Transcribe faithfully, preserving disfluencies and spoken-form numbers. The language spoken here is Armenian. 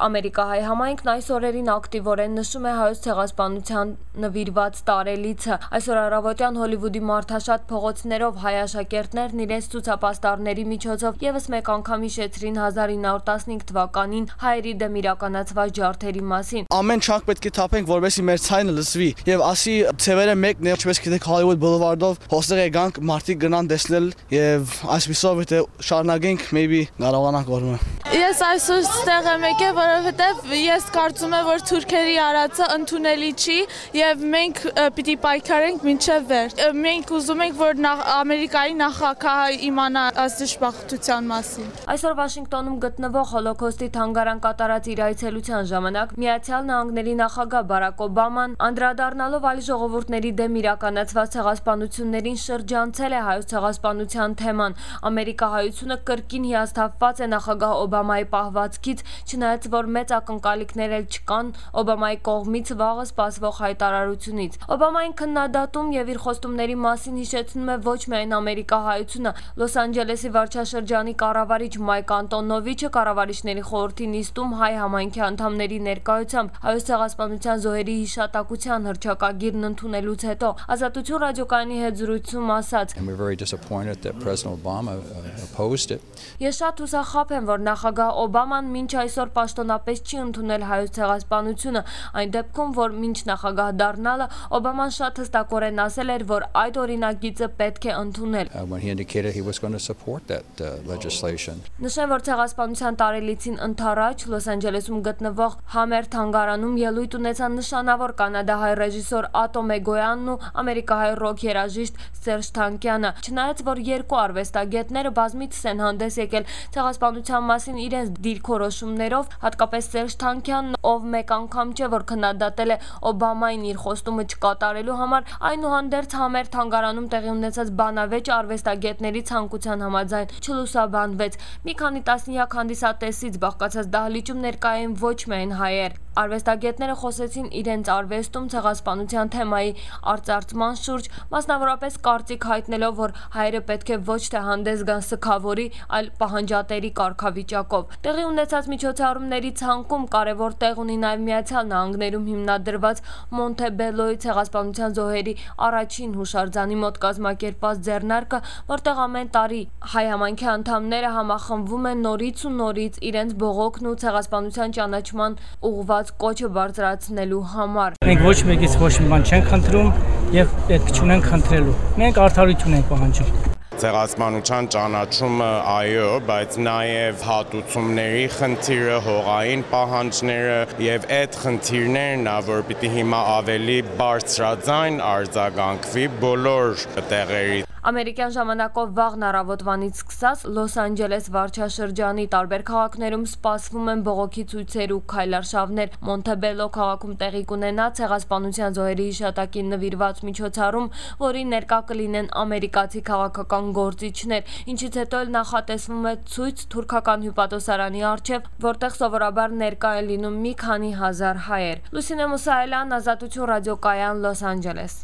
Ամերիկահայ համայնքն այս օրերին ակտիվորեն նշում է հայոց ցեղասպանության նվիրված տարելիցը։ Այսօր առավոտյան Հոլիվուդի մարդաշատ փողոցներով հայ աշակերտներն իրենց ցուցապաստառների միջոցով եւս մեկ անգամ հիշեցրին հազար ինը հարյուր տասնհինգ թվականին հայերի դեմ իրականացված ջարդերի մասին։ Ամեն չանք պետք է թափենք, որովհետեւ մեր ցայնը լսվի եւ ասի ցևերը մեկն է, ինչպես գիտեք Hollywood Boulevard-ով հոսեղ եկանք մարդիկ գնան տեսնել եւ այսպիսով եթե շարունակենք maybe կարողանանք օրը։ Ես այսօր ստեղ եմ եկել, որովհետև ես կարծում եմ, որ թուրքերի արածը ընդունելի չի եւ մենք պիտի պայքարենք մինչեւ վերջ։ Մենք ուզում ենք, որ Ամերիկայի նախագահը իմանա այս դժբախտության մասին։ Այսօր Վաշինգտոնում գտնվող Հոլոքոստի թանգարան կատարած իր այցելության ժամանակ Միացյալ Նահանգների նախագահ Բարակ Օբաման անդրադառնալով այլ ժողովուրդների դեմ իրականացված ցեղասպանություններին շրջանցել է հայոց ցեղասպանության թեման։ Ամերիկահայությունը կրկին հիասթափված է նախագահ Օբամայի պահվածքից, չնայած որ մեծ ակնկալիքներ էլ չկան Օբամայի կողմից վաղը սպասվող հայտարարությունից։ Օբամային քննադատում եւ իր խոստումների մասին հիշեցնում է ոչ միայն ամերիկահայությունը։ Լոս Անջելեսի վարչաշրջանի կառավարիչ Մայք Անտոնովիչը կառավարիչների խորհրդի նիստում հայ համայնքի անդամների ներկայությամբ հայոց ցեղասպանության զոհերի հիշատակության հռչակագիրն ընդունելուց հետո Ազատություն ռադիոկայանի հետ զրույցում ասաց. Ես շատ հուսախաբ եմ, որ նախագահ Օբաման մինչ այսօր պաշտոնապես չի ընդունել հայոց ցեղասպանությունը, այն դեպքում, որ մինչ նախագահ դառնալը Օբաման շատ հստակորեն ասել էր, որ այդ օրինագիծը պետք է ընդունել։ Նշեմ, որ ցեղասպանության տարելիցին ընդառաջ Լոս Անջելեսում գտնվող Համեր թանգարանում ելույթ ունեցան նշանավոր կանադահայ ռեժիսոր Ատո Մեգոյանն ու ամերիկահայ ռոք երաժիշտ Սերժ Թանկյանը։ Չնայած որ երկու արվեստագետները բազմիցս են հանդես եկել ցեղասպանության մասին իրենց դիրքորոշումներով, հատկապես Սերժ Թանկյանն, ով մեկ անգամ չէ որ քննադատել է Օբամային իր խոստումը չկատարելու համար, այնուհանդերձ Համեր թանգարանում տեղի ունեցած բանավեճ արվեստագետների ցանկության համաձայն չլուսաբանվեց։ Մի քանի տասնյակ հանդիսատեսից բաղկացած դահլիճում ներկա էին ոչ միայն հայեր։ Արվեստագետները խոսեցին իրենց արվեստում ցեղասպանության թեմայի արծարծման շուրջ, մասնավորապես կարծիք հայտնելով, որ հայերը պետք է ոչ թե հանդես գան սգավորի, այլ պահանջատերի կարգավիճակով։ Տեղի ունեցած միջոցառումների ցանկում կարևոր տեղ ունի նաև Միացյալ Նահանգներում հիմնադրված Մոնթեբելոյի ցեղասպանության զոհերի առաջին հուշարձանի մոտ կազմակերպված ձեռնարկը, որտեղ ամեն տարի հայ համայնքի անդամները համախմբվում են նորից ու նորից իրենց բողոքն ու ցեղասպանության ճանաչման ուղղված կոչը բարձրացնելու համար։ Մենք ոչ մեկից ոչ մի բան չենք խնդրում եւ պետք չունենք խնդրելու։ Մենք արդարություն ենք պահանջում։ Ցեղասպանության ճանաչումը այո, բայց նաև հատուցումների խնդիրը, հողային պահանջները եւ այդ խնդիրներն ա, որ պիտի հիմա ավելի բարձրաձայն արձագանքվի բոլոր տեղերի։ Ամերիկյան ժամանակով վաղն առավոտվանից սկսած Լոս Անջելես վարչաշրջանի տարբեր քաղաքներում սպասվում են բողոքի ցույցեր ու քայլարշավներ։ Մոնթեբելո քաղաքում տեղի կունենա ցեղասպանության զոհերի հիշատակին նվիրված միջոցառում, որին ներկա կլինեն ամերիկացի քաղաքական գործիչներ, ինչից հետո էլ նախատեսվում է ցույց թուրքական հյուպատոսարանի առջև, որտեղ սովորաբար ներկա են լինում մի քանի հազար հայեր։ Լուսինե Մուսայելյան, Ազատություն ռադիոկայան, Լոս Անջելես։